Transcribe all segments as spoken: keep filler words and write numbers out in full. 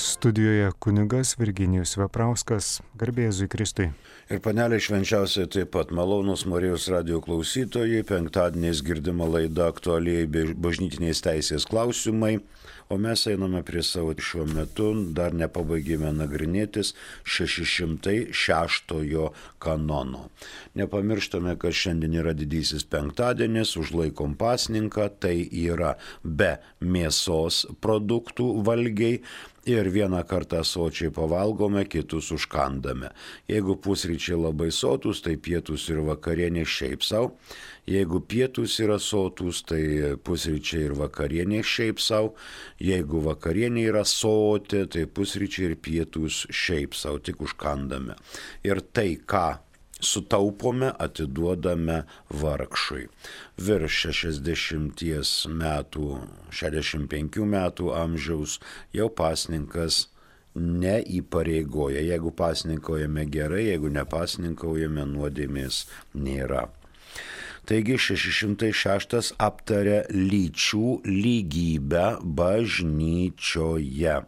Studijoje kunigas Virginijus Veprauskas, garbė Jėzui Kristui. Ir panelė švenčiausiai taip pat malonūs Marijos radijo klausytojai, penktadieniais girdima laida aktualiai bažnytinės teisės klausimai, o mes einame prie savo šiuo metu, dar nepabaigėme nagrinėtis šeši šimtai šeštojo kanono. Nepamirštame, kad šiandien yra didysis penktadienis, užlaikom pasninką, tai yra be mėsos produktų valgiai. Ir vieną kartą sočiai pavalgome, kitus užkandame. Jeigu pusryčiai labai sotus, tai pietus ir vakarienė šiaip savo. Jeigu pietus yra sotus, tai pusryčiai ir vakarienė šiaip savo. Jeigu vakarienė yra soti, tai pusryčiai ir pietus šiaip savo, tik užkandame. Ir tai, ką sutaupome, atiduodame vargšui. Virš šešiasdešimties metų, šešiasdešimt penkių metų amžiaus jau pasninkas neįpareigoja. Jeigu pasninkaujame gerai, jeigu nepasninkaujame, nuodėmės nėra. Taigi šeši šimtai šeštas aptaria lyčių lygybę bažnyčioje.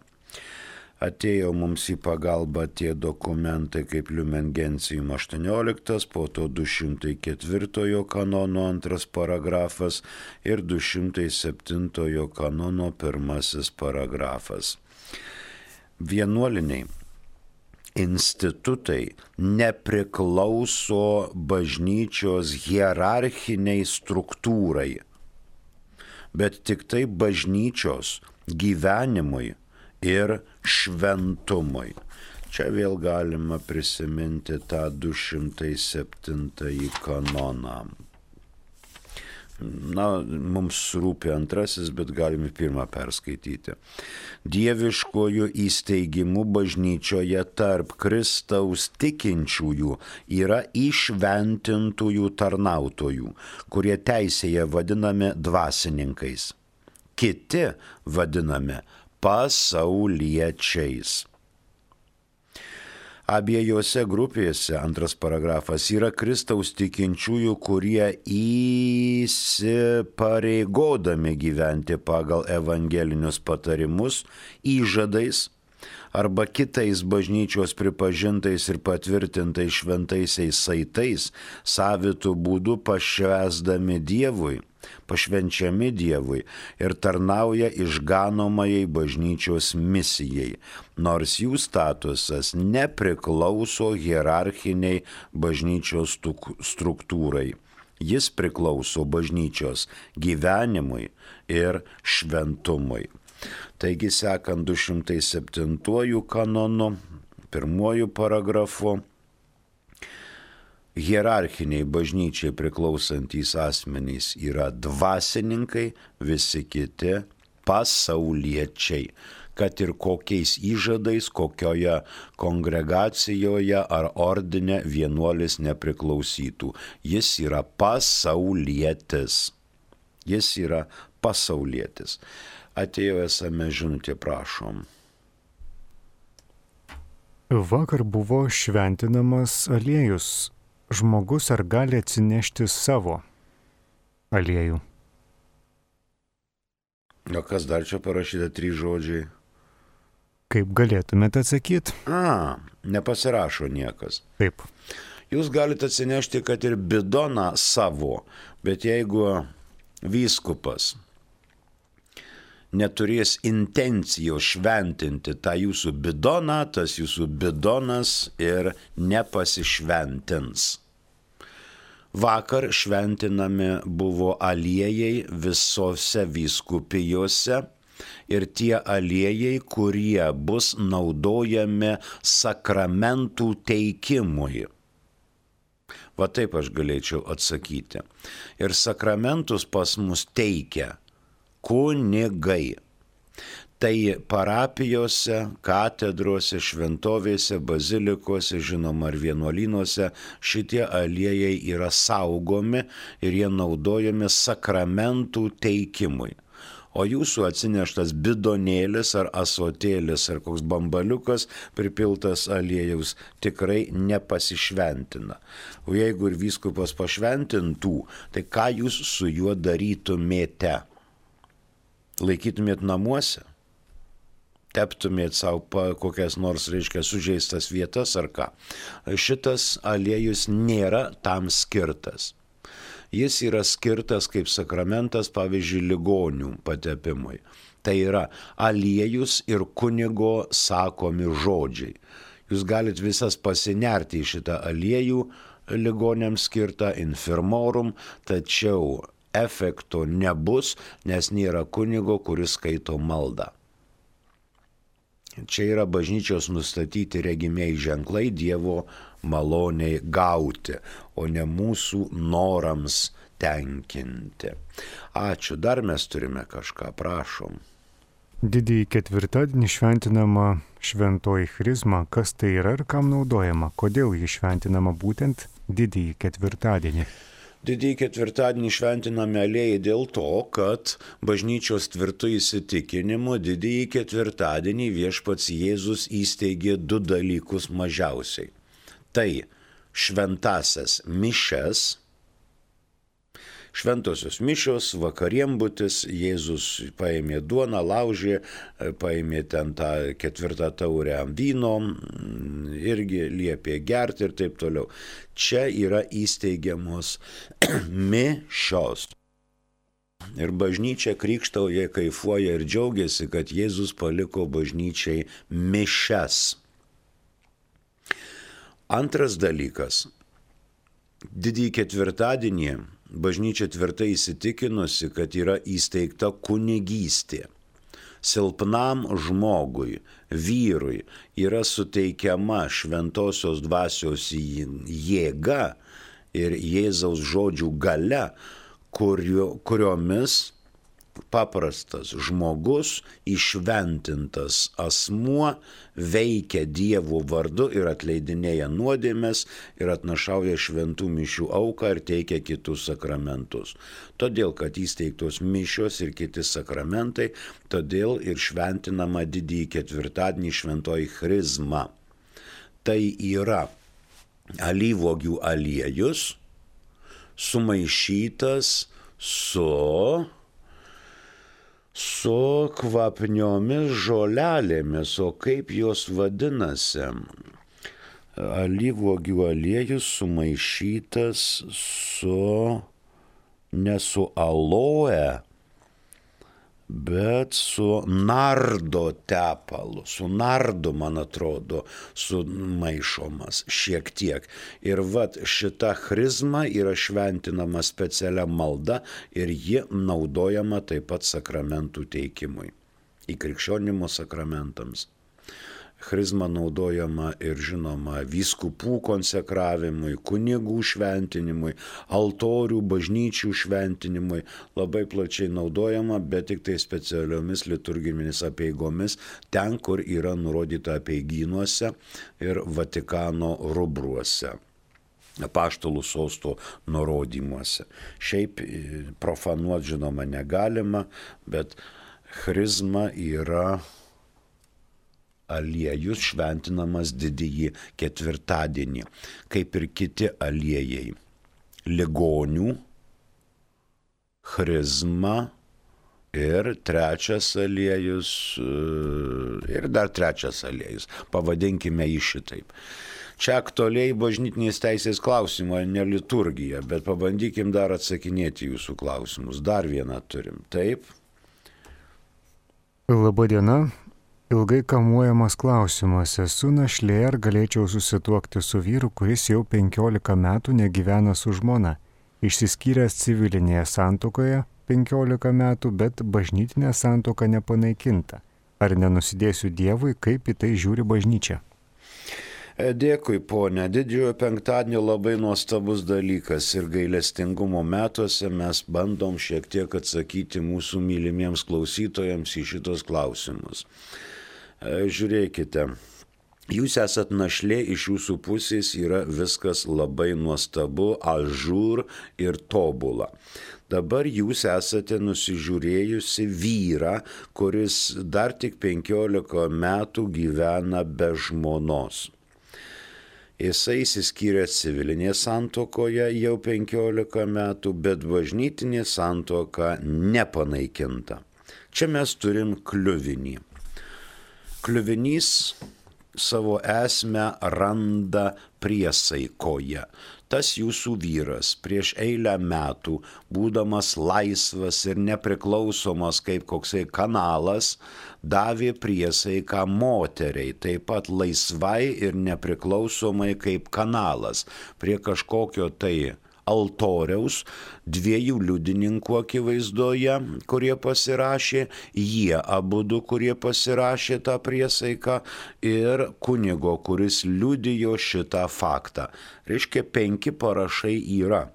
Atėjo mums į pagalbą tie dokumentai kaip Lumen Gentium aštuonioliktas, po to du šimtai ketvirtojo kanono antras paragrafas ir du šimtai septintojo kanono pirmasis paragrafas. Vienuoliniai institutai nepriklauso bažnyčios hierarchiniai struktūrai, bet tik tai bažnyčios gyvenimui ir šventumui. Čia vėl galima prisiminti tą du šimtai septintąjį kanoną. Na, mums rūpi antrasis, bet galime pirmą perskaityti. Dieviškojų įsteigimų bažnyčioje tarp Kristaus tikinčiųjų yra įšventintųjų tarnautojų, kurie teisėje vadinami dvasininkais. Kiti vadinami pasauliečiais. Abiejose grupėse, antras paragrafas, yra Kristaus tikinčiųjų, kurie įsipareigodami gyventi pagal evangelinius patarimus, įžadais arba kitais bažnyčios pripažintais ir patvirtintais šventaisiais saitais, savitų būdų pašvęsdami Dievui, pašvenčiami Dievui ir tarnauja išganomajai bažnyčios misijai, nors jų statusas nepriklauso hierarchiniai bažnyčios struktūrai. Jis priklauso bažnyčios gyvenimui ir šventumui. Taigi, sekant du šimtai septintuoju kanonu, pirmuoju paragrafu, hierarchiniai bažnyčiai priklausantys asmenys yra dvasininkai, visi kiti pasauliečiai, kad ir kokiais įžadais, kokioje kongregacijoje ar ordine vienuolis nepriklausytų. Jis yra pasaulietis. Jis yra pasaulietis. Atėjo esame žinutė, prašom. Vakar buvo šventinamas aliejus. Žmogus ar gali atsinešti savo aliejų? O kas dar čia parašyta, trys žodžiai? Kaip galėtumėte atsakyti? A, nepasirašo niekas. Taip. Jūs galite atsinešti, kad ir bidoną savo, bet jeigu vyskupas neturės intencijos šventinti tą jūsų bidoną, tas jūsų bidonas ir nepasišventins. Vakar šventinami buvo aliejai visose vyskupijose ir tie aliejai, kurie bus naudojami sakramentų teikimui. Va taip aš galėčiau atsakyti. Ir sakramentus pas mus teikia kunigai. Tai parapijose, katedrose, šventovėse, bazilikose, žinoma, ar vienuolynuose šitie aliejai yra saugomi ir jie naudojami sakramentų teikimui. O jūsų atsineštas bidonėlis ar asotėlis ar koks bambaliukas pripiltas aliejaus tikrai nepasišventina. O jeigu ir vyskupas pašventintų, tai ką jūs su juo darytumėte? Laikytumėt namuose? teptumėt savo kokias nors, reiškia, sužeistas vietas ar ką. Šitas aliejus nėra tam skirtas. Jis yra skirtas kaip sakramentas, pavyzdžiui, ligonių patepimui. Tai yra aliejus ir kunigo sakomi žodžiai. Jūs galit visas pasinerti į šitą aliejų ligoniams skirtą infirmorum, tačiau efekto nebus, nes nėra kunigo, kuris skaito maldą. Čia yra bažnyčios nustatyti regimiai ženklai Dievo maloniai gauti, o ne mūsų norams tenkinti. Ačiū, dar mes turime kažką, prašom. Didįjį ketvirtadienį šventinama šventoji chrizma. Kas tai yra ir kam naudojama? Kodėl ji šventinama būtent didįjį ketvirtadienį? Didįjį ketvirtadienį šventiname aliejai dėl to, kad bažnyčios tvirtų įsitikinimu didįjį ketvirtadienį viešpats Jėzus įsteigė du dalykus mažiausiai. Tai šventasias mišias, šventosios mišios, vakarienbutis, Jėzus paėmė duoną, laužė, paėmė ten tą ketvirtą taurę vyno, irgi liepė gerti ir taip toliau. Čia yra įsteigiamos mišios. Ir bažnyčia krikštauja, kaifuoja ir džiaugiasi, kad Jėzus paliko bažnyčiai mišias. Antras dalykas. Didįjį ketvirtadienį bažnyčia tvirtai įsitikinusi, kad yra įsteigta kunigystė. Silpnam žmogui, vyrui yra suteikiama šventosios dvasios jėga ir Jėzaus žodžių galia, kurio, kuriomis paprastas žmogus, įšventintas asmuo veikia Dievo vardu ir atleidinėja nuodėmes ir atnašauja šventų mišių auką ir teikia kitus sakramentus. Todėl, kad įsteigtos mišios ir kiti sakramentai, todėl ir šventinama didįjį ketvirtadienį šventoji chrizma. Tai yra alyvuogių aliejus sumaišytas su su kvapniomis žolelėmis, o kaip jos vadinasi? Alyvuogių aliejus sumaišytas su, ne su aloe, bet su nardo tepalu, su nardu, man atrodo, sumaišomas šiek tiek. Ir vat šita chrizma yra šventinama specialia malda ir ji naudojama taip pat sakramentų teikimui, įkrikščionimo sakramentams. Chrizma naudojama ir žinoma vyskupų konsekravimui, kunigų šventinimui, altorių, bažnyčių šventinimui, labai plačiai naudojama, bet tik tai specialiomis liturginėmis apeigomis, ten, kur yra nurodyta apeigynuose ir Vatikano rubruose, apaštalų sosto nurodymuose. Šiaip profanuot žinoma negalima, bet chrizma yra aliejus šventinamas didįjį ketvirtadienį, kaip ir kiti aliejai. Ligonių, chrizma ir trečias aliejus, ir dar trečias aliejus. Pavadinkime jį šitaip. Čia aktualiai bažnytinės teisės klausimai, ne liturgija, bet pabandykim dar atsakinėti jūsų klausimus. Dar vieną turim. Taip? Labą dieną. Ilgai kamuojamas klausimas, esu našlė, ar galėčiau susituokti su vyru, kuris jau penkiolika metų negyvena su žmona. Išsiskyręs civilinėje santuokoje penkiolika metų, bet bažnytinė santuoka nepanaikinta. Ar nenusidėsiu Dievui, kaip į tai žiūri bažnyčia? Dėkui, ponė. Didžiojo penktadienio labai nuostabus dalykas ir gailestingumo metuose mes bandom šiek tiek atsakyti mūsų mylimiems klausytojams į šitos klausimus. Žiūrėkite, jūs esat našlė, iš jūsų pusės yra viskas labai nuostabu, ažūr ir tobula. Dabar jūs esate nusižiūrėjusi vyrą, kuris dar tik penkiolika metų gyvena be žmonos. Jisai įsiskyrė civilinėje santuokoje jau penkiolika metų, bet bažnytinė santuoka nepanaikinta. Čia mes turim kliuvinį. Kliuvinys savo esmę randa priesaikoje. Tas jūsų vyras prieš eilę metų, būdamas laisvas ir nepriklausomas kaip koksai kanalas, davė priesaiką moteriai, taip pat laisvai ir nepriklausomai kaip kanalas, prie kažkokio tai altoriaus, dviejų liudininkų akivaizdoje, kurie pasirašė, jie abudu, kurie pasirašė tą priesaiką, ir kunigo, kuris liudijo šitą faktą. Reiškia, penki parašai yra.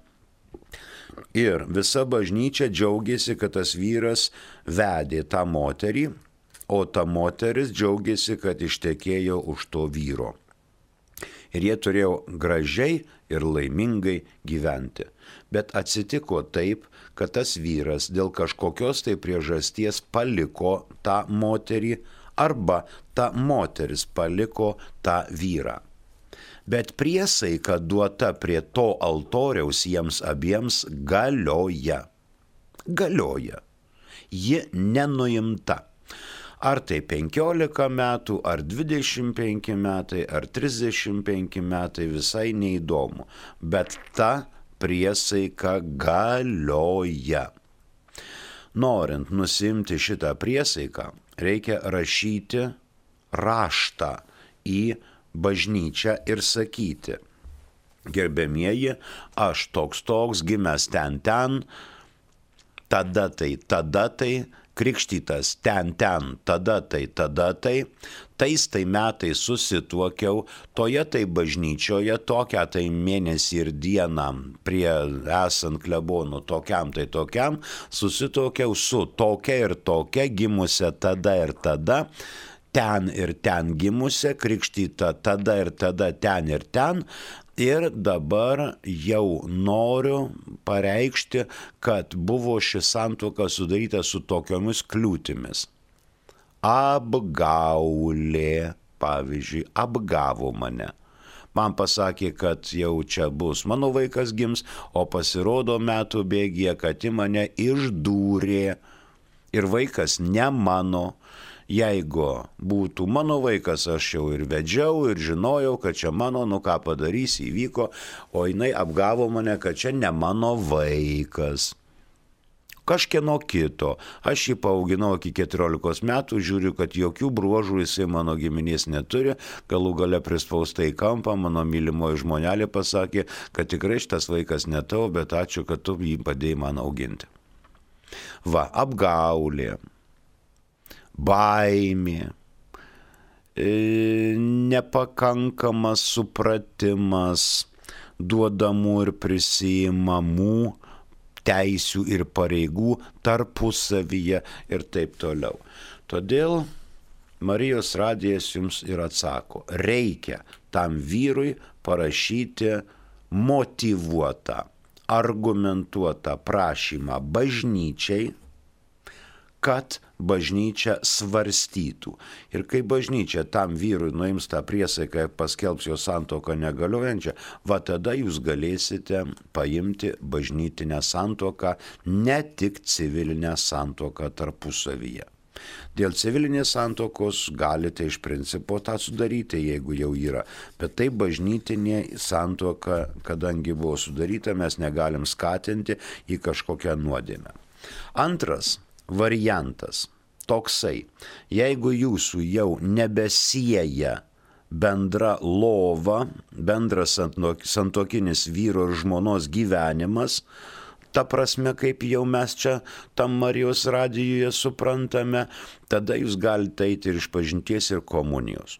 Ir visa bažnyčia džiaugiasi, kad tas vyras vedė tą moterį, o ta moteris džiaugiasi, kad ištekėjo už to vyro. Ir jie turėjo gražiai ir laimingai gyventi. Bet atsitiko taip, kad tas vyras dėl kažkokios tai priežasties paliko tą moterį arba ta moteris paliko tą vyrą. Bet priesaika duota prie to altoriaus jiems abiems galioja. Galioja. Ji nenuimta. Ar tai penkiolika metų, ar dvidešimt penki metai, ar trisdešimt penki metai, visai neįdomu. Bet ta priesaika galioja. Norint nusimti šitą priesaiką, reikia rašyti raštą į bažnyčią ir sakyti: gerbiamieji, aš toks toks, gimęs ten ten, tada tai, tada tai, krikštytas ten, ten, tada tai, tada tai, tais tai metais susituokiau, toje tai bažnyčioje, tokią tai mėnesį ir dieną prie esant klebonų, tokiam tai tokiam, susituokiau su tokia ir tokia, gimusia tada ir tada, ten ir ten gimusia, krikštyta tada ir tada, ten ir ten. Ir dabar jau noriu pareikšti, kad buvo ši santuoka sudaryta su tokiomis kliūtimis. Apgaulė, pavyzdžiui, apgavo mane. Man pasakė, kad jau čia bus mano vaikas gims, o pasirodo metų bėgyje, kad į mane išdūrė ir vaikas ne mano. Jeigu būtų mano vaikas, aš jau ir vedžiau, ir žinojau, kad čia mano, nu ką padarys, įvyko, o jinai apgavo mane, kad čia ne mano vaikas. Kažkieno kito. Aš jį paauginau iki keturiolikos metų, žiūriu, kad jokių bruožų jisai mano giminės neturi, galų gale prispaustai į kampą, mano mylimoji žmonelė pasakė, kad tikrai šitas vaikas ne tavo, bet ačiū, kad tu jį padėjai man auginti. Va, apgaulė. Baimė, nepakankamas supratimas duodamų ir prisiimamų teisių ir pareigų tarpusavyje ir taip toliau. Todėl Marijos radijas jums ir atsako, reikia tam vyrui parašyti motyvuotą, argumentuotą prašymą bažnyčiai, kad bažnyčia svarstytų. Ir kai bažnyčia tam vyrui nuims tą priesaiką ir paskelbs jo santuoką negaliojančią, va tada jūs galėsite paimti bažnytinę santuoką, ne tik civilinę santuoką tarpusavyje. Dėl civilinės santuokos galite iš principo tą sudaryti, jeigu jau yra. Bet tai bažnytinė santuoka, kadangi buvo sudaryta, mes negalim skatinti į kažkokią nuodėmę. Antras variantas toksai, jeigu jūsų jau nebesieja bendra lova, bendras santuokinis vyro ir žmonos gyvenimas, ta prasme, kaip jau mes čia tam Marijos radijuje suprantame, tada jūs galite eiti ir išpažinties ir komunijos.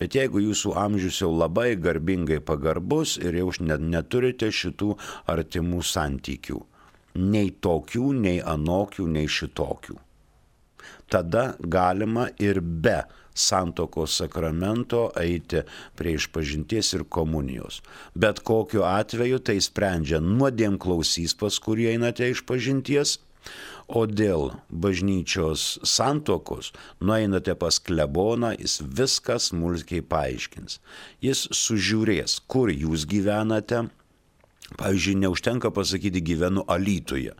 Bet jeigu jūsų amžius jau labai garbingai pagarbus ir jau neturite šitų artimų santykių, nei tokių, nei anokių, nei šitokių, tada galima ir be santuokos sakramento eiti prie išpažinties ir komunijos. Bet kokiu atveju tai sprendžia nuodėmklausys, pas kurį einate išpažinties, o dėl bažnyčios santuokos nueinate pas kleboną, jis viską smulkiai paaiškins. Jis sužiūrės, kur jūs gyvenate. Pavyzdžiui, neužtenka pasakyti gyvenu Alytuje.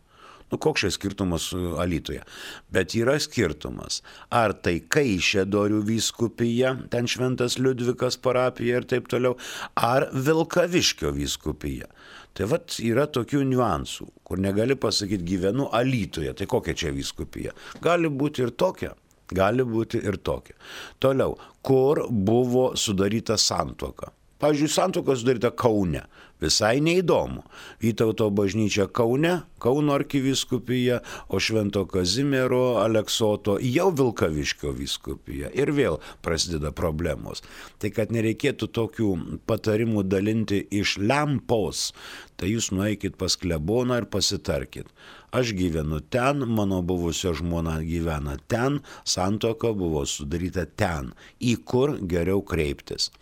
Nu, koks čia skirtumas Alytuje? Bet yra skirtumas. Ar tai Kaišiadorių vyskupija, ten Šventas Liudvikas parapija ir taip toliau, ar Vilkaviškio vyskupija. Tai vat yra tokių niuansų, kur negali pasakyti gyvenu Alytuje, tai kokia čia vyskupija. Gali būti ir tokia, gali būti ir tokia. Toliau, kur buvo sudaryta santuoka. Pavyzdžiui, santuoka sudaryta Kaune. Visai neįdomu. Vytauto bažnyčia Kaune, Kauno arkivyskupija, o Švento Kazimiero Aleksoto jau Vilkaviškio vyskupija. Ir vėl prasideda problemos. Tai kad nereikėtų tokių patarimų dalinti iš lempos, tai jūs nueikit pas kleboną ir pasitarkit. Aš gyvenu ten, mano buvusio žmona gyvena ten, santuoka buvo sudaryta ten, į kur geriau kreiptis.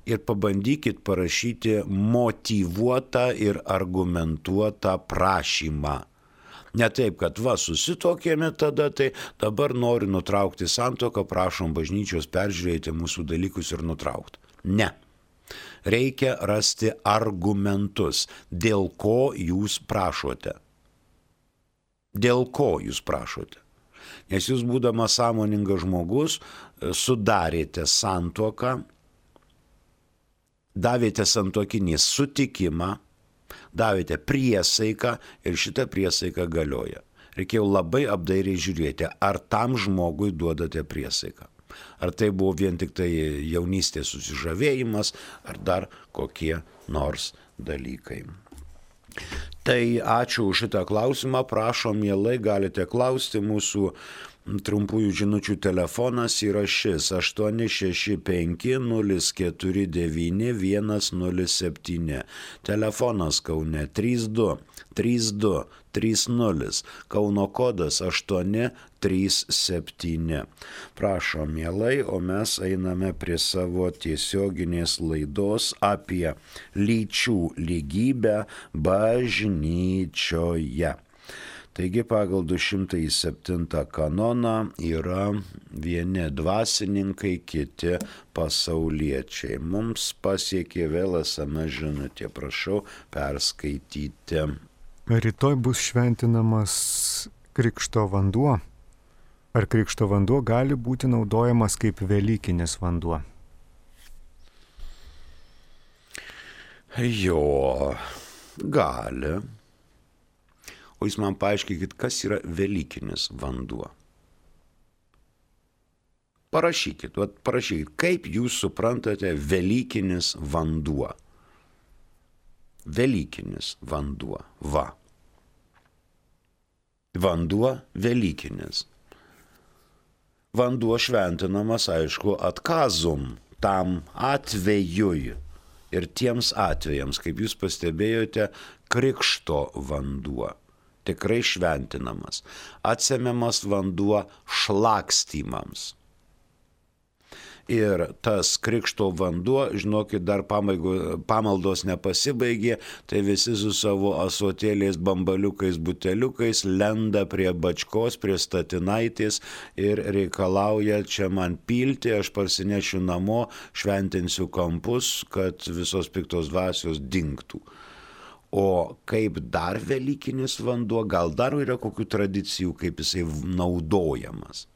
Ir pabandykit parašyti motyvuotą ir argumentuotą prašymą. Ne taip, kad va, susitokėme tada, tai dabar noriu nutraukti santuoką, prašom bažnyčios peržiūrėti mūsų dalykus ir nutraukti. Ne. Reikia rasti argumentus, dėl ko jūs prašote. Dėl ko jūs prašote. Nes jūs, būdamas sąmoningas žmogus, sudarėte santuoką, davėte santuokinį sutikimą, davėte priesaiką ir šitą priesaiką galioja. Reikėjo labai apdairiai žiūrėti, ar tam žmogui duodate priesaiką. Ar tai buvo vien tik tai jaunystės susižavėjimas, ar dar kokie nors dalykai. Tai ačiū už šitą klausimą, prašom, mielai galite klausti. Mūsų trumpųjų žinučių telefonas yra šis aštuoni šeši penki nulis keturi devyni vienas nulis septyni. Telefonas Kaune trys du trys du trys nulis, Kauno kodas aštuoni trys septyni. Prašom, mielai, o mes einame prie savo tiesioginės laidos apie lyčių lygybę bažnyčioje. Taigi pagal du šimtai septintą kanoną yra vieni dvasininkai, kiti pasauliečiai. Mums pasiekė vėl es em es žinutė, prašau perskaityti. Rytoj bus šventinamas krikšto vanduo. Ar krikšto vanduo gali būti naudojamas kaip velykinis vanduo? Jo, gali. O jūs man paaiškykit, kas yra velykinis vanduo. Parašykit, vat parašykit, kaip jūs suprantate velykinis vanduo. Velykinis vanduo, va. Vanduo velykinis. Vanduo šventinamas, aišku, atkazum, tam atvejui ir tiems atvejams, kaip jūs pastebėjote, krikšto vanduo. Tikrai šventinamas, atsemiamas vanduo šlakstymams. Ir tas krikšto vanduo, žinokit, dar pamaigo, pamaldos nepasibaigė, tai visi su savo asotėliais, bambaliukais, buteliukais lenda prie bačkos, prie statinaitės ir reikalauja čia man pilti, aš parsinešiu namo, šventinsiu kampus, kad visos piktos dvasios dingtų. O kaip dar velykinis vanduo, gal dar yra kokių tradicijų, kaip jisai naudojamas.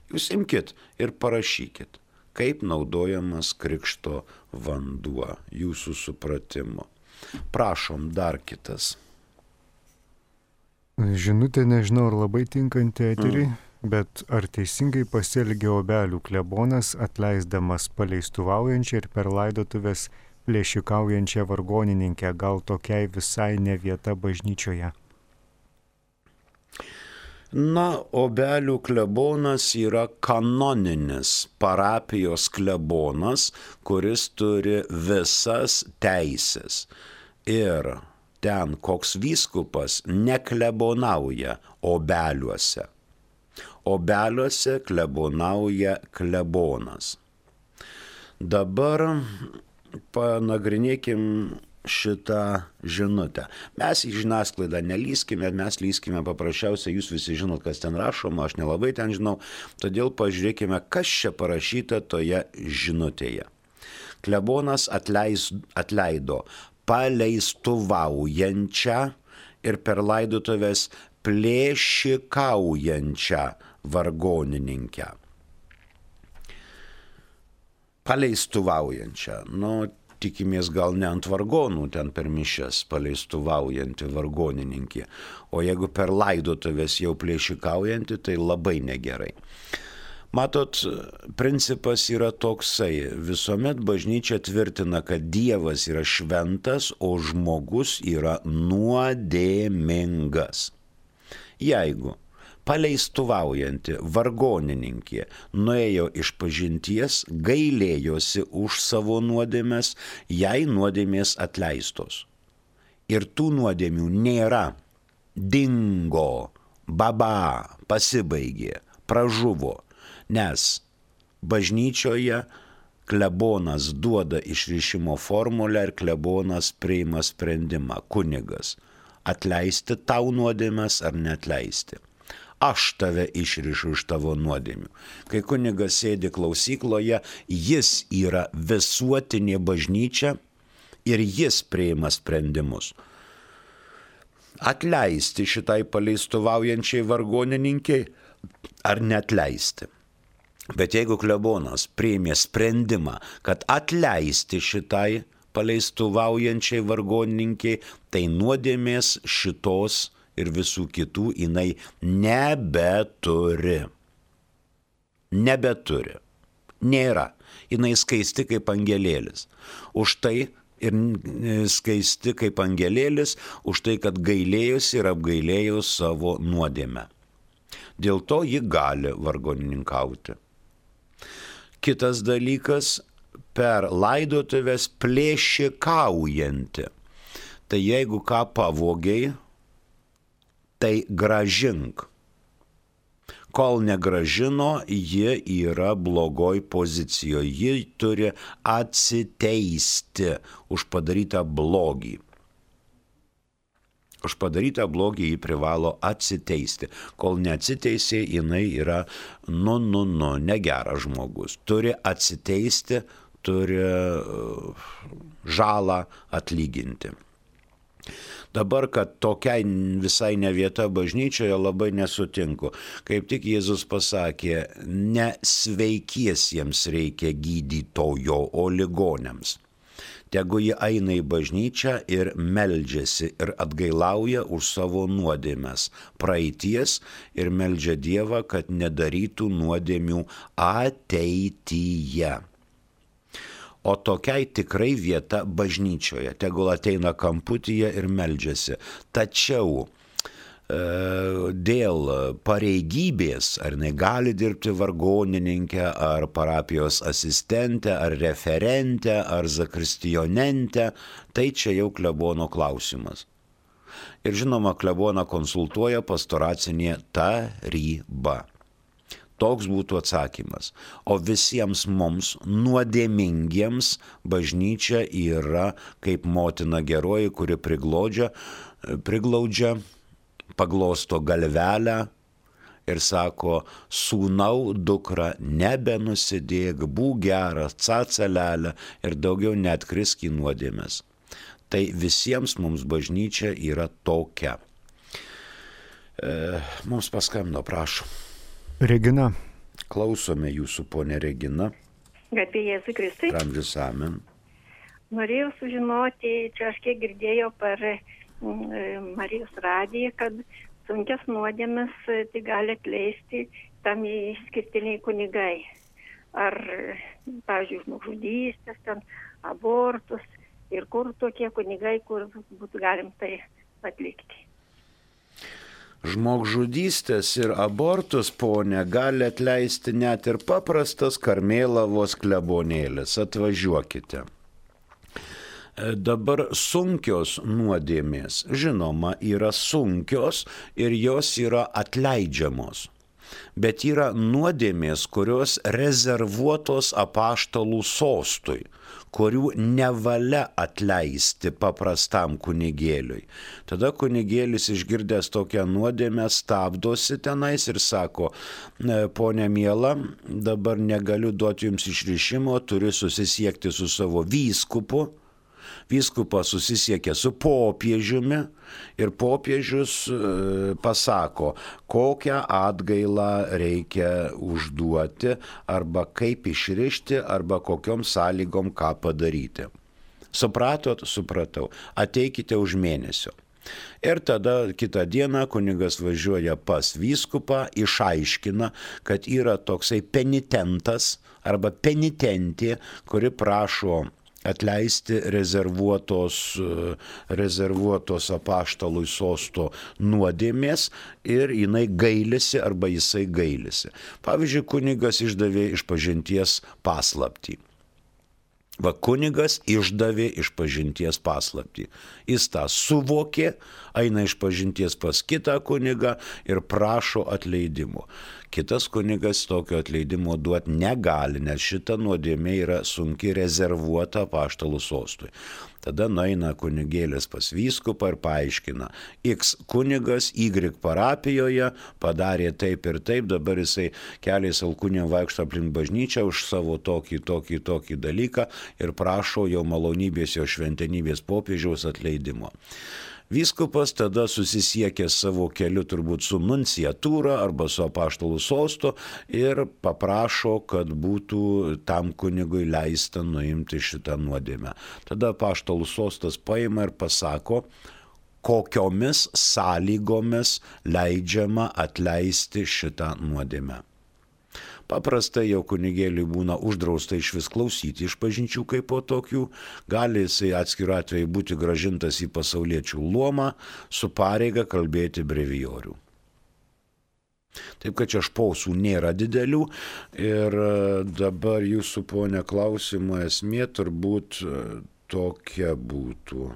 Jūs imkit ir parašykit, kaip naudojamas krikšto vanduo, jūsų supratimu. Prašom, dar kitas. Žinutė, nežinau, ar labai tinkanti eteriai, mm. bet ar teisingai pasielgė Obelių klebonas, atleisdamas paleistuvaujančią ir per laidotuvės plėšikaujančią vargonininkę, gal tokiai visai ne vieta bažnyčioje? Na, Obelių klebonas yra kanoninis parapijos klebonas, kuris turi visas teisės. Ir ten koks vyskupas neklebonauja obeliuose. Obeliuose klebonauja klebonas. Dabar panagrinėkim šitą žinutę. Mes į žiniasklaidą nelyskime, mes lyskime paprasčiausiai, jūs visi žinot, kas ten rašoma, aš nelabai ten žinau, todėl pažiūrėkime, kas čia parašyta toje žinutėje. Klebonas atleis, atleido paleistuvaujančią ir per laidotuvės plėšikaujančią vargonininkę. Paleistuvaujančią. Nu, tikimės gal ne ant vargonų ten per mišias paleistuvaujanti vargonininkė, o jeigu per laidotuvės jau plėšikaujanti, tai labai negerai. Matot, principas yra toksai, visuomet bažnyčia tvirtina, kad Dievas yra šventas, o žmogus yra nuodėmingas. Jeigu paleistuvaujanti vargonininkė nuėjo iš pažinties, gailėjosi už savo nuodėmes, jai nuodėmės atleistos. Ir tų nuodėmių nėra. Dingo, baba, pasibaigė, pražuvo. Nes bažnyčioje klebonas duoda išrišimo formulę ir klebonas priima sprendimą, kunigas, atleisti tau nuodėmes ar neatleisti. Aš tave išrišu iš tavo nuodėmių. Kai kunigas sėdi klausykloje, jis yra visuotinė bažnyčia ir jis priima sprendimus. Atleisti šitai paleistuvaujančiai vargonininkiai ar neatleisti. Bet jeigu klebonas priėmė sprendimą, kad atleisti šitai paleistuvaujančiai vargonininkiai, tai nuodėmės šitos ir visų kitų jinai nebeturi. Nebeturi. Nėra. Jinai skaisti kaip angelėlis. Už tai ir skaisti kaip angelėlis, už tai, kad gailėjosi ir apgailėjo savo nuodėmę. Dėl to ji gali vargonininkauti. Kitas dalykas, per laidotuvės plėšikaujanti. Tai jeigu ką pavogiai, tai gražink. Kol negražino, ji yra blogoj pozicijoje. Ji turi atsiteisti už padarytą blogį. Už padarytą blogį ji privalo atsiteisti. Kol neatsiteisė, jinai yra, nu, nu, nu, negeras žmogus. Turi atsiteisti, turi žalą atlyginti. Dabar, kad tokiai visai ne vieta bažnyčioje, labai nesutinku. Kaip tik Jėzus pasakė, ne sveikiesiems reikia gydytojo, o ligoniams. Tegu jie eina į bažnyčią ir meldžiasi ir atgailauja už savo nuodėmes praeities ir meldžia Dievą, kad nedarytų nuodėmių ateityje. O tokiai tikrai vieta bažnyčioje, tegul ateina kamputyje ir meldžiasi. Tačiau dėl pareigybės, ar jinai gali dirbti vargonininkę, ar parapijos asistentę, ar referentę, ar zakristijonentę, tai čia jau klebono klausimas. Ir žinoma, kleboną konsultuoja pastoracinė taryba. Toks būtų atsakymas. O visiems mums nuodėmingiems bažnyčia yra kaip motina geroji, kuri priglaudžia, priglaudžia paglosto galvelę ir sako, sūnau, dukra, nebenusidėk, būk geras, cacelelė ir daugiau neatkrisk į nuodėmes. Tai visiems mums bažnyčia yra tokia. E, mums paskambino, prašom. Regina. Klausome jūsų, ponė Regina. Garbė Jėzui Kristui. Amžius amen. Norėjau sužinoti, čia aš kiek girdėjau per Marijos radiją, kad sunkias nuodėmes tai gali atleisti tam išskirtiniai kunigai. Ar, pavyzdžiui, žmogžudystės, ten abortus ir kur tokie kunigai, kur būtų galim tai atlikti. Žmogžudystės ir abortus, ponė, gali atleisti net ir paprastas Karmėlavos klebonėlis. Atvažiuokite. Dabar sunkios nuodėmės, žinoma, yra sunkios ir jos yra atleidžiamos. Bet yra nuodėmės, kurios rezervuotos apaštalų sostui, kurių nevalia atleisti paprastam kunigėliui. Tada kunigėlis išgirdęs tokią nuodėmę stabdosi tenais ir sako, ponė miela, dabar negaliu duoti jums išrišimo, turiu susisiekti su savo vyskupu Vyskupas susisiekia su popiežiumi ir popiežius pasako, kokią atgailą reikia užduoti arba kaip išrišti arba kokiom sąlygom ką padaryti. Supratot? Supratau. Ateikite už mėnesio. Ir tada kitą dieną kunigas važiuoja pas vyskupą, išaiškina, kad yra toksai penitentas arba penitentė, kuri prašo atleisti rezervuotos, rezervuotos apaštalui sosto nuodėmės ir jinai gailisi arba jisai gailisi. Pavyzdžiui, kunigas išdavė išpažinties paslaptį. Va, kunigas išdavė išpažinties paslaptį. Jis tą suvokė, eina išpažinties pas kitą kunigą ir prašo atleidimo. Kitas kunigas tokio atleidimo duoti negali, nes šita nuodėmė yra sunki rezervuota apaštalų sostui. Tada nueina kunigėlis pas vyskupą ir paaiškina, X kunigas Y parapijoje padarė taip ir taip, dabar jisai keliais alkūnėm vaikšto aplink bažnyčią už savo tokį, tokį, tokį dalyką ir prašo jo malonybės, jo šventenybės popiežiaus atleidimo. Vyskupas tada susisiekė savo keliu turbūt su nunciatūra arba su apaštalų sostu ir paprašo, kad būtų tam kunigui leista nuimti šitą nuodėmę. Tada apaštalų sostas paima ir pasako, kokiomis sąlygomis leidžiama atleisti šitą nuodėmę. Paprastai jau kunigėliui būna uždrausta iš vis klausyti išpažinčių kaip po tokių, gali jisai atskiru atveju būti gražintas į pasauliečių luomą su pareiga kalbėti brevijorių. Taip kad čia špausų nėra didelių ir dabar jūsų, ponia, klausimo esmė turbūt tokia būtų,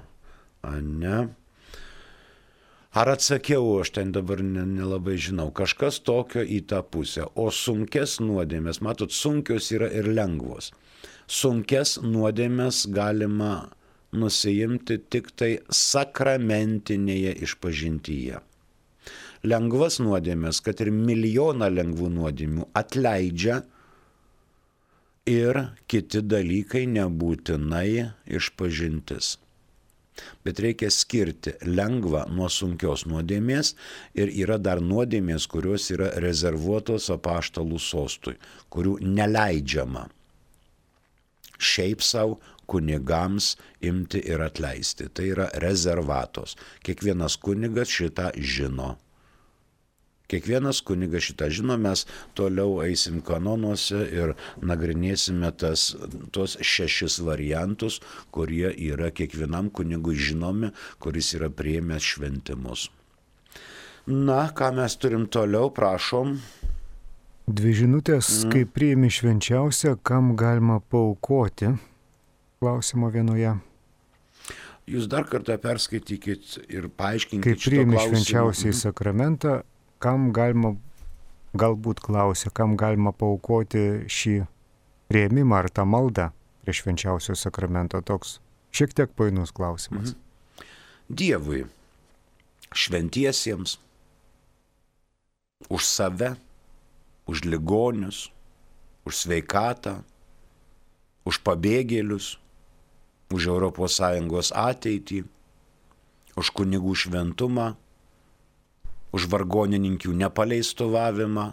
ane? Ar atsakiau, aš ten dabar nelabai žinau, kažkas tokio į tą pusę. O sunkes nuodėmės, matot, sunkios yra ir lengvos. Sunkes nuodėmės galima nusiimti tik tai sakramentinėje išpažintyje. Lengvas nuodėmės, kad ir milijoną lengvų nuodėmių atleidžia ir kiti dalykai nebūtinai išpažintis. Bet reikia skirti lengvą nuo sunkios nuodėmės ir yra dar nuodėmės, kurios yra rezervuotos apaštalų sostui, kurių neleidžiama šiaip savo kunigams imti ir atleisti. Tai yra rezervatos. Kiekvienas kunigas šitą žino. Kiekvienas kunigas šitą žino, mes toliau eisim kanonuose ir nagrinėsime tas, tos šešis variantus, kurie yra kiekvienam kunigui žinomi, kuris yra priėmęs šventimus. Na, ką mes turim toliau, prašom. Dvi žinutės, mm. kaip priimi švenčiausią, kam galima paaukoti? Klausimo vienoje. Jūs dar kartą perskaitykit ir paaiškinkit kaip šito priimi klausimo. švenčiausiai mm. sakramentą, kam galima, galbūt klausia, kam galima paaukoti šį priėmimą ar tą maldą prie švenčiausio sakramento, toks šiek tiek painus klausimas. Mhm. Dievui, šventiesiems, už save, už ligonius, už sveikatą, už pabėgėlius, už Europos Sąjungos ateitį, už kunigų šventumą, už vargonininkių nepaleistovavimą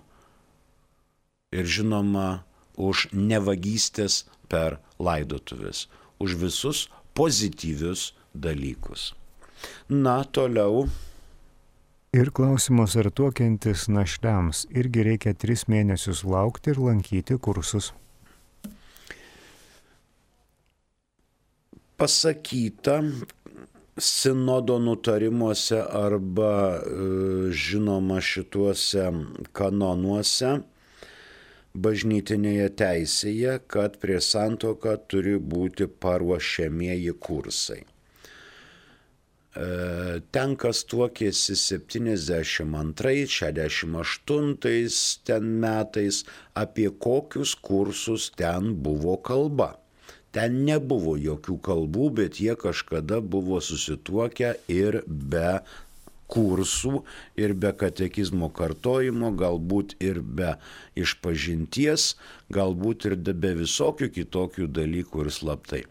ir žinoma už nevagystės per laidotuves, už visus pozityvius dalykus. Na, toliau. Ir klausimas, ar tuokiantis našliams irgi reikia tris mėnesius laukti ir lankyti kursus? Pasakyta sinodo nutarimuose arba žinoma šituose kanonuose bažnytinėje teisėje, kad prie santuoką turi būti paruošiamieji kursai. Ten, kas tuokėsi septyniasdešimt antrais, šešiasdešimt aštuntais ten metais, apie kokius kursus ten buvo kalba. Ten nebuvo jokių kalbų, bet jie kažkada buvo susituokę ir be kursų ir be katekizmo kartojimo, galbūt ir be išpažinties, galbūt ir be visokių kitokių dalykų ir slaptai.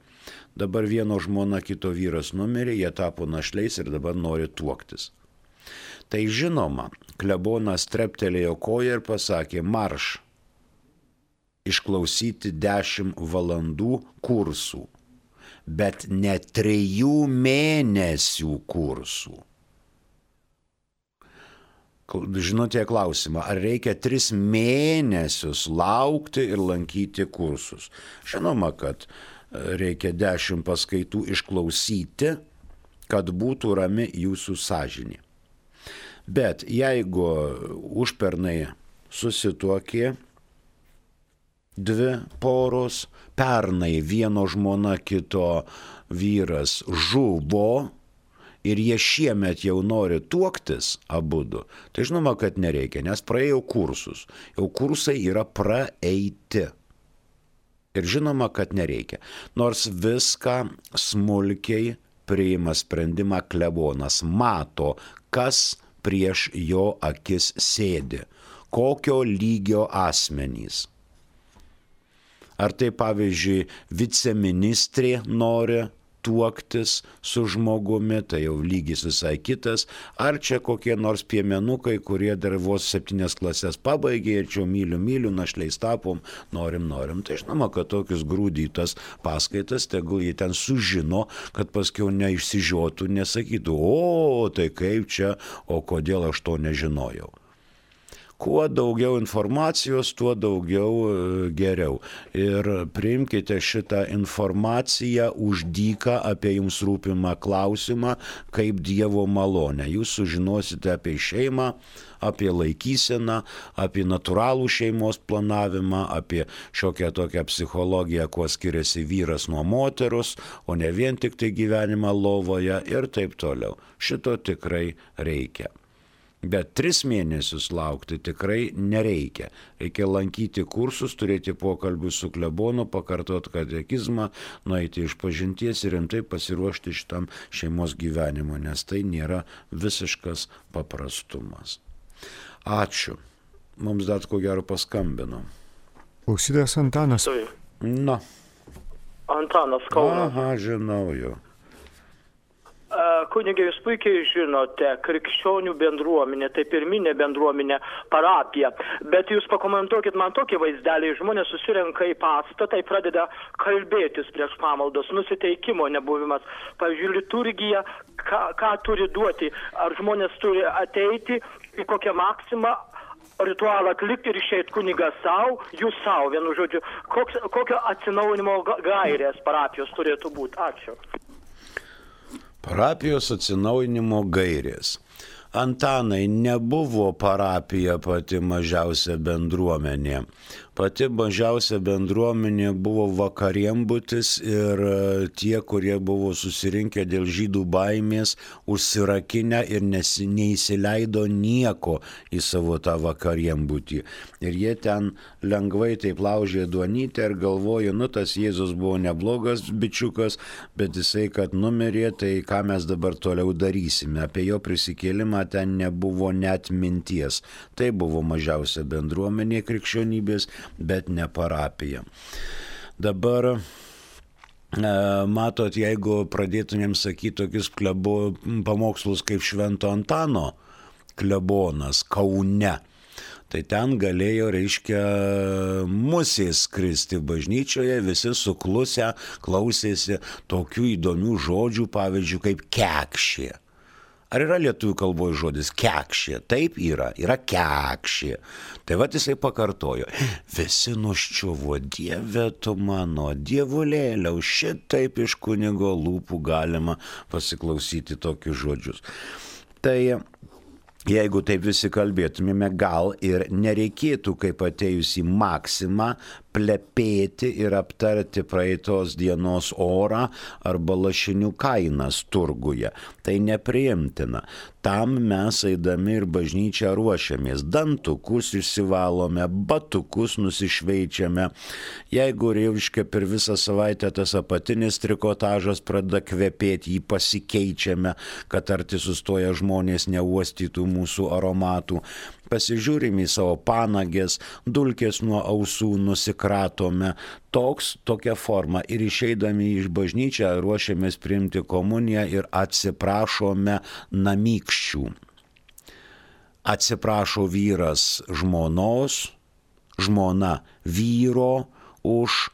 Dabar vieno žmona, kito vyras numirė, jie tapo našliais ir dabar nori tuoktis. Tai žinoma, klebonas treptelėjo koją ir pasakė, marš išklausyti dešimt valandų kursų, bet ne trijų mėnesių kursų. Žinote klausimą, ar reikia tris mėnesius laukti ir lankyti kursus? Žinoma, kad reikia dešimt paskaitų išklausyti, kad būtų rami jūsų sąžinė. Bet jeigu užpernai susituokė dvi poros, pernai vieno žmona, kito vyras žuvo ir jie šiemet jau nori tuoktis abudu, tai žinoma, kad nereikia, nes praėjo kursus. Jau kursai yra praeiti. Ir žinoma, kad nereikia. Nors viską smulkiai priima sprendimą klebonas, mato, kas prieš jo akis sėdi, kokio lygio asmenys. Ar tai pavyzdžiui viceministrė nori tuoktis su žmogumi, tai jau lygis visai kitas, ar čia kokie nors piemenukai, kurie dar vos septynias klasės pabaigė ir čia myliu, myliu, našliais tapom, norim, norim. Tai žinoma, kad tokius grūdytas paskaitas, tegul jie ten sužino, kad paskiau neišsižiotų, nesakytų, o tai kaip čia, o kodėl aš to nežinojau. Kuo daugiau informacijos, tuo daugiau geriau. Ir priimkite šitą informaciją už dyką apie jums rūpimą klausimą kaip Dievo malonę. Jūs sužinosite apie šeimą, apie laikyseną, apie natūralų šeimos planavimą, apie šiokią tokią psichologiją, kuo skiriasi vyras nuo moteros, o ne vien tik tai gyvenimą lovoje ir taip toliau. Šito tikrai reikia. Bet tris mėnesius laukti tikrai nereikia. Reikia lankyti kursus, turėti pokalbių su klebonu, pakartoti katekizmą, nueiti iš pažinties ir rimtai pasiruošti šitam šeimos gyvenimo, nes tai nėra visiškas paprastumas. Ačiū. Mums dar ko gero paskambino. Klausytojas Antanas. Na. Antanas Kaunas. Aha, žinau jau. Kunige, jūs puikiai žinote, krikščionių bendruomenė, tai pirminė bendruomenė, parapija, bet jūs pakomentuokit man tokį vaizdelį, žmonės susirenka į pastatą, pradeda kalbėtis prieš pamaldos, nusiteikimo nebuvimas, pavyzdžiui, liturgija, ką, ką turi duoti, ar žmonės turi ateiti į kokią maksimą, ritualą atlikti ir išeit kunigas savo, jūs savo, vienu žodžiu, koks, kokio atsinaujinimo gairės parapijos turėtų būti. Ačiū. Parapijos atsinaujinimo gairės. Antanai, nebuvo parapija pati mažiausia bendruomenė. Pati mažiausia bendruomenė buvo vakarienbutis ir tie, kurie buvo susirinkę dėl žydų baimės, užsirakinę ir nesi, neįsileido nieko į savo tą vakarienbutį. Ir jie ten lengvai taip laužė duonytę ir galvojo, nu tas Jėzus buvo neblogas bičiukas, bet jisai, kad numirė, tai ką mes dabar toliau darysime. Apie jo prisikėlimą ten nebuvo net minties. Tai buvo mažiausia bendruomenė krikščionybės, bet ne parapija. Dabar, e, matot, jeigu pradėtumėm sakyti tokius klebo, pamokslus kaip Švento Antano klebonas Kaune, tai ten galėjo, reiškia, musės skristi bažnyčioje, visi suklusę klausėsi tokių įdomių žodžių, pavyzdžiui, kaip kekšė. Ar yra lietuvių kalboje žodis kekšė? Taip yra, yra kekšė. Tai vat jisai pakartojo. Visi nuščiuvo, Dieve tu mano, dievulėliau, šitaip iš kunigo lūpų galima pasiklausyti tokius žodžius. Tai jeigu taip visi kalbėtumėme, gal ir nereikėtų, kaip atėjus į maksimą, plepėti ir aptarti praeitos dienos orą arba lašinių kainas turguje. Tai nepriimtina. Tam mes eidami ir bažnyčią ruošiamės. Dantukus išsivalome, batukus nusišveičiame. Jeigu reiškia per visą savaitę tas apatinis trikotažas pradeda kvepėti, jį pasikeičiame, kad arti sustoja žmonės neuostytų mūsų aromatų. Pasižiūrime į savo panagės, dulkės nuo ausų nusikratome. Toks, tokia forma. Ir išeidami iš bažnyčią ruošiamės priimti komuniją ir atsiprašome namykščių. Atsiprašo vyras žmonos, žmona vyro už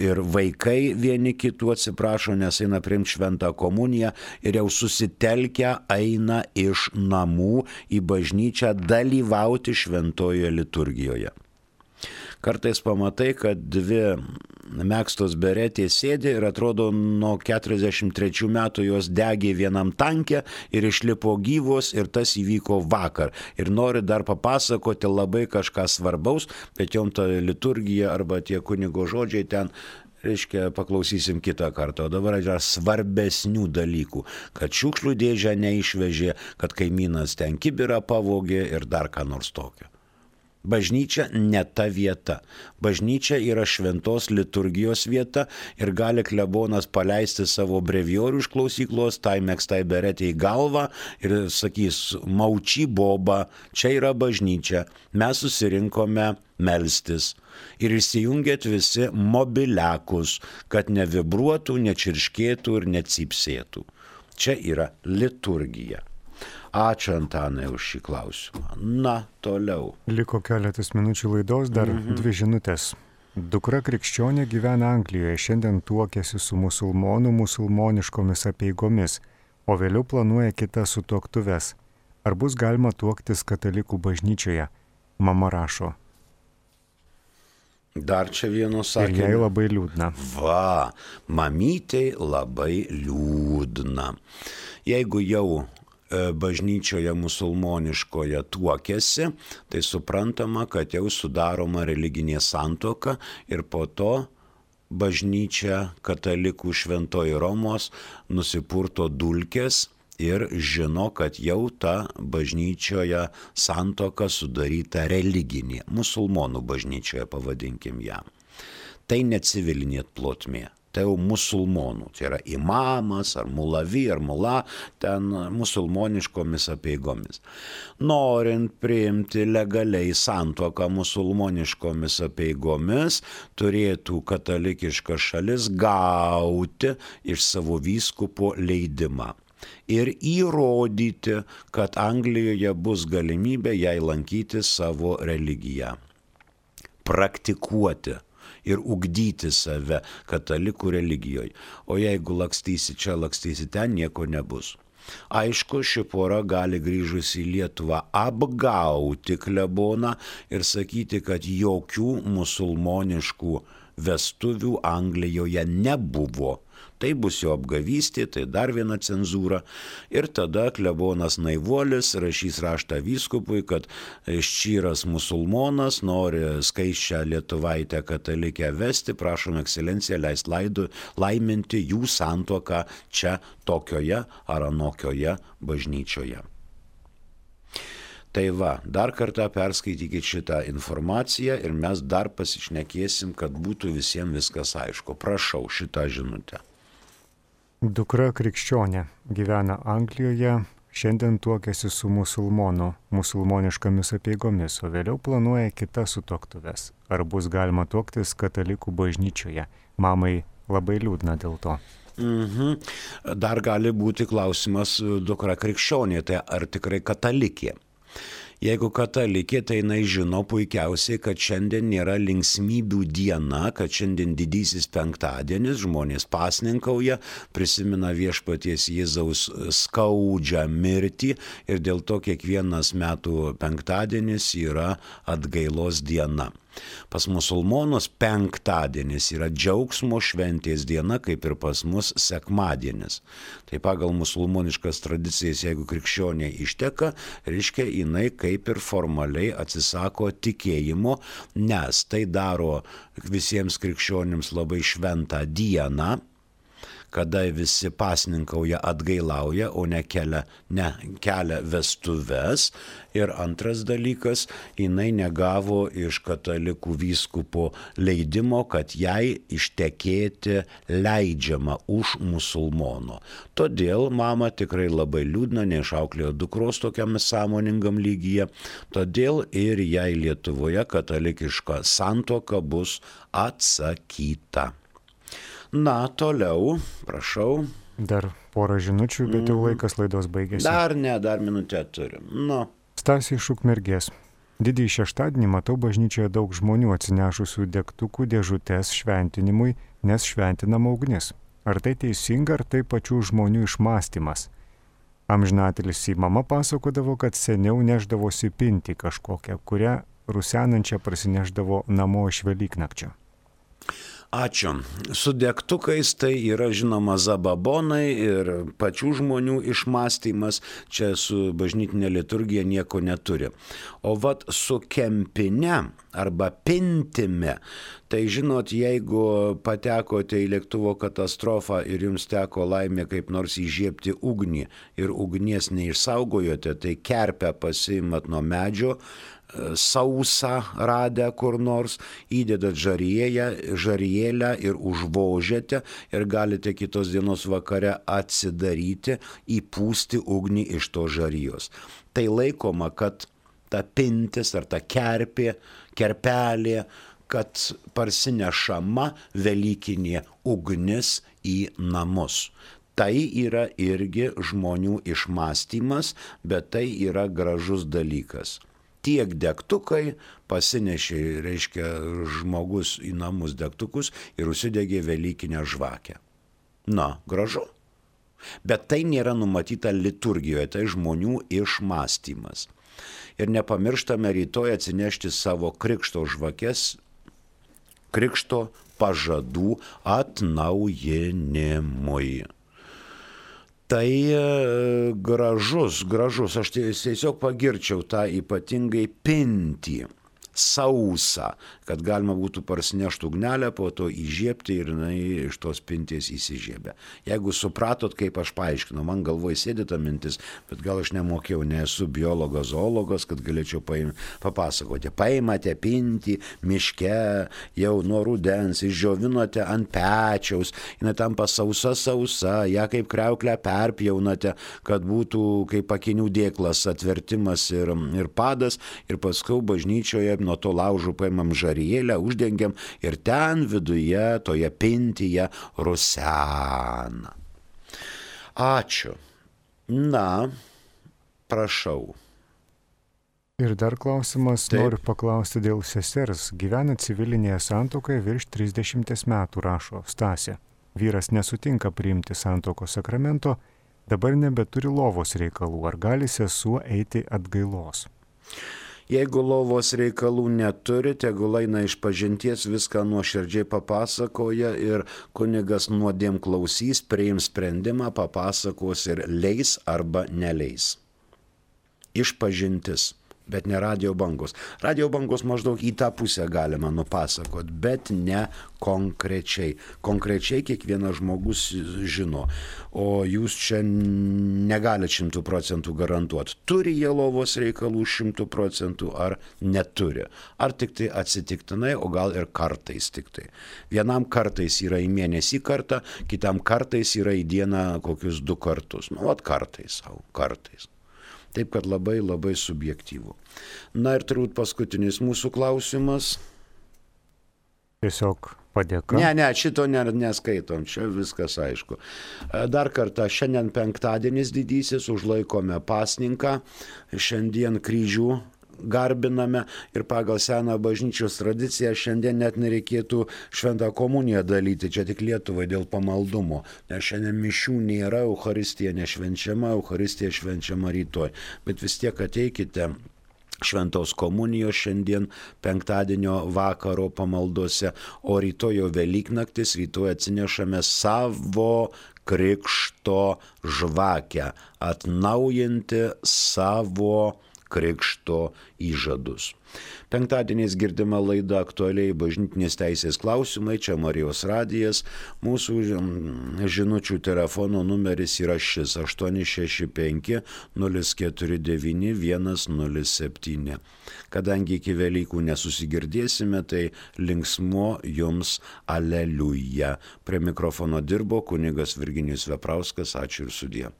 ir vaikai vieni kitų atsiprašo, nes eina priimti šventą komuniją ir jau susitelkę eina iš namų į bažnyčią dalyvauti šventojoje liturgijoje. Kartais pamatai, kad dvi megztos beretės sėdi ir atrodo nuo keturiasdešimt trečių metų jos degė vienam tanke ir išlipo gyvos ir tas įvyko vakar. Ir nori dar papasakoti labai kažką svarbaus, bet jom ta liturgija arba tie kunigo žodžiai ten, reiškia, paklausysim kitą kartą. O dabar yra svarbesnių dalykų, kad šiukšlių dėžę neišvežė, kad kaimynas ten kibirą pavogė ir dar ką nors tokio. Bažnyčia ne ta vieta. Bažnyčia yra šventos liturgijos vieta ir gali klebonas paleisti savo breviorių iš klausyklos, tai megztai beretė į galvą ir sakys, mauči boba, čia yra bažnyčia, mes susirinkome melstis. Ir įsijungėt visi mobiliakus, kad nevibruotų, nečirškėtų ir necypsėtų. Čia yra liturgija. Ačiū, Antanai, už šį klausimą. Na, toliau. Liko keletas minučių laidos, dar mhm. dvi žinutės. Dukra krikščionė gyvena Anglijoje, šiandien tuokiasi su musulmonų musulmoniškomis apeigomis, o vėliau planuoja kitas sutuoktuves. Ar bus galima tuoktis katalikų bažnyčioje? Mama rašo. Dar čia vieno sakinio. Ir jai labai liūdna. Va, mamytei labai liūdna. Jeigu jau bažnyčioje musulmoniškoje tuokėsi, tai suprantama, kad jau sudaroma religinė santuoka ir po to bažnyčia katalikų šventoji Romos nusipurto dulkės ir žino, kad jau ta bažnyčioje santuoka sudaryta religinė, musulmonų bažnyčioje pavadinkim ją. Tai ne civilinė plotmė. Tai jau musulmonų, tai yra imamas ar mulavi ar mula, ten musulmoniškomis apeigomis. Norint priimti legaliai santuoką musulmoniškomis apeigomis, turėtų katalikiška šalis gauti iš savo vyskupo leidimą ir įrodyti, kad Anglijoje bus galimybė jai lankyti savo religiją, praktikuoti ir ugdyti save katalikų religijoje. O jeigu lakstysi čia, lakstysi ten, nieko nebus. Aišku, ši pora gali grįžusi į Lietuvą apgauti kleboną ir sakyti, kad jokių musulmoniškų vestuvių Anglijoje nebuvo. Tai bus jo apgavystė, tai dar viena cenzūra. Ir tada klebonas naivuolis rašys raštą vyskupui, kad ščyras musulmonas nori skaisčią lietuvaitę katalikę vesti, prašom ekscelenciją leist laidu, laiminti jų santuoką čia tokioje ar anokioje bažnyčioje. Tai va, dar kartą perskaitykit šitą informaciją ir mes dar pasišnekėsim, kad būtų visiems viskas aišku. Prašau šitą žinutę. Dukra krikščionė gyvena Anglijoje, šiandien tuokiasi su musulmonu, musulmoniškomis apeigomis, o vėliau planuoja kitas sutuoktuves. Ar bus galima tuoktis katalikų bažnyčioje? Mamai labai liūdna dėl to. Mhm. Dar gali būti klausimas, dukra krikščionė, tai ar tikrai katalikė? Jeigu katalikė, tai jinai žino puikiausiai, kad šiandien nėra linksmybių diena, kad šiandien didysis penktadienis, žmonės pasninkauja, prisimena viešpaties Jėzaus skaudžią mirtį ir dėl to kiekvienas metų penktadienis yra atgailos diena. Pas musulmonus penktadienis yra džiaugsmo šventės diena, kaip ir pas mus sekmadienis. Tai pagal musulmoniškas tradicijas, jeigu krikščionė išteka, reiškia jinai kaip ir formaliai atsisako tikėjimo, nes tai daro visiems krikščionims labai šventą dieną, kada visi pasninkauja, atgailauja, o ne kelia, ne kelia vestuves. Ir antras dalykas, jinai negavo iš katalikų vyskupo leidimo, kad jai ištekėti leidžiama už musulmono. Todėl mama tikrai labai liūdna, neišauklėjo dukros tokiam sąmoningam lygyje, todėl ir jai Lietuvoje katalikiška santuoka bus atsakyta. Na, toliau, prašau. Dar porą žinučių, bet jau laikas laidos baigėsi. Dar ne, dar minutę turim. Nu. Stasė iš Ukmergės. Didįjį šeštadienį matau bažnyčioje daug žmonių atsinešusių degtukų dėžutes šventinimui, nes šventinama ugnis. Ar tai teisinga, ar tai pačių žmonių išmąstymas? Amžinatelis į mama pasakodavo, kad seniau neždavosi pinti kažkokią, kurią rusenančią prasineždavo namo iš Velyknakčio. Ačiū. Su degtukais tai yra žinoma zababonai ir pačių žmonių išmąstymas, čia su bažnytinė liturgija nieko neturi. O vat su kempine arba pintime, tai žinot, jeigu patekote į lėktuvo katastrofą ir jums teko laimė kaip nors įžiebti ugnį ir ugnies neišsaugojote, tai kerpę pasiimat nuo medžio, sausą radę kur nors, įdedat žarėją, žarėlę ir užvožėte ir galite kitos dienos vakare atsidaryti, įpūsti ugnį iš to žarijos. Tai laikoma, kad ta pintis ar ta kerpė, kerpelė, kad parsinešama velykinė ugnis į namus. Tai yra irgi žmonių išmąstymas, bet tai yra gražus dalykas. Tiek degtukai pasinešė, reiškia, žmogus į namus degtukus ir užsidegė velykinę žvakę. Na, gražu. Bet tai nėra numatyta liturgijoje, tai žmonių išmąstymas. Ir nepamirštame rytoj atsinešti savo krikšto žvakes, krikšto pažadų atnaujinimui. Tai gražus, gražus, aš tiesiog pagirčiau tą ypatingai pintį, sausą, kad galima būtų parsinešti ugnelę, po to įžiebti ir jinai iš tos pinties įsižiebė. Jeigu supratot, kaip aš paaiškinau, man galvoje sėdė ta mintis, bet gal aš nemokėjau, nesu biologas, zoologas, kad galėčiau paim, papasakoti. Paimate pintį miške, jau nuo rudens, išdžiovinote ant pečiaus, jinai tampa sausa sausa, ją kaip kriauklę perpjaunate, kad būtų kaip akinių dėklas atvertimas ir, ir padas, ir paskui bažnyčioje nuo to laužų paimam žarėlę, uždengiam ir ten viduje, toje pintyje rusena. Ačiū. Na, prašau. Ir dar klausimas, Taip. Noriu paklausti dėl sesers. Gyvena civilinėje santuokoje virš trisdešimties metų, rašo Stasė. Vyras nesutinka priimti santuokos sakramento, dabar nebeturi lovos reikalų. Ar gali sesuo eiti atgailos? Jeigu lovos reikalų neturi, tegul eina iš pažinties, viską nuoširdžiai papasakoja ir kunigas nuodėm klausys, priims sprendimą, papasakos ir leis arba neleis. Iš pažintis, bet ne radio bangos. Radio bangos maždaug į tą pusę galima nupasakot, bet ne konkrečiai. Konkrečiai kiekvienas žmogus žino, o jūs čia negalite šimtų procentų garantuoti. Turi jie lovos reikalų šimtų procentų ar neturi. Ar tik tai atsitiktinai, o gal ir kartais tik tai. Vienam kartais yra į mėnesį kartą, kitam kartais yra į dieną kokius du kartus. Nu, vat kartais, au, kartais. Taip, kad labai labai subjektyvu. Na ir turbūt paskutinis mūsų klausimas. Tiesiog padėka. Ne, ne, šito neskaitom, čia viskas aišku. Dar kartą, šiandien penktadienis didysis, užlaikome pasninką, šiandien kryžių garbiname ir pagal seną bažnyčios tradiciją šiandien net nereikėtų šventą komuniją dalyti, čia tik Lietuvai dėl pamaldumo, nes šiandien mišių nėra, Eucharistija nešvenčiama, Eucharistija švenčiama rytoj, bet vis tiek ateikite Šventos komunijos šiandien penktadienio vakaro pamaldose, o rytoj jau Velyknaktis, rytoj atsinešame savo krikšto žvakę, atnaujinti savo krikšto įžadus. Penktadieniais girdima laida aktualiai bažnytinės teisės klausimai, čia Marijos radijas, mūsų žinučių telefono numeris yra šis aštuoni šeši penki nulis keturi devyni vienas nulis septyni. Kadangi iki Velykų nesusigirdėsime, tai linksmo jums aleliuja. Prie mikrofono dirbo kunigas Virginijus Veprauskas, ačiū ir sudie.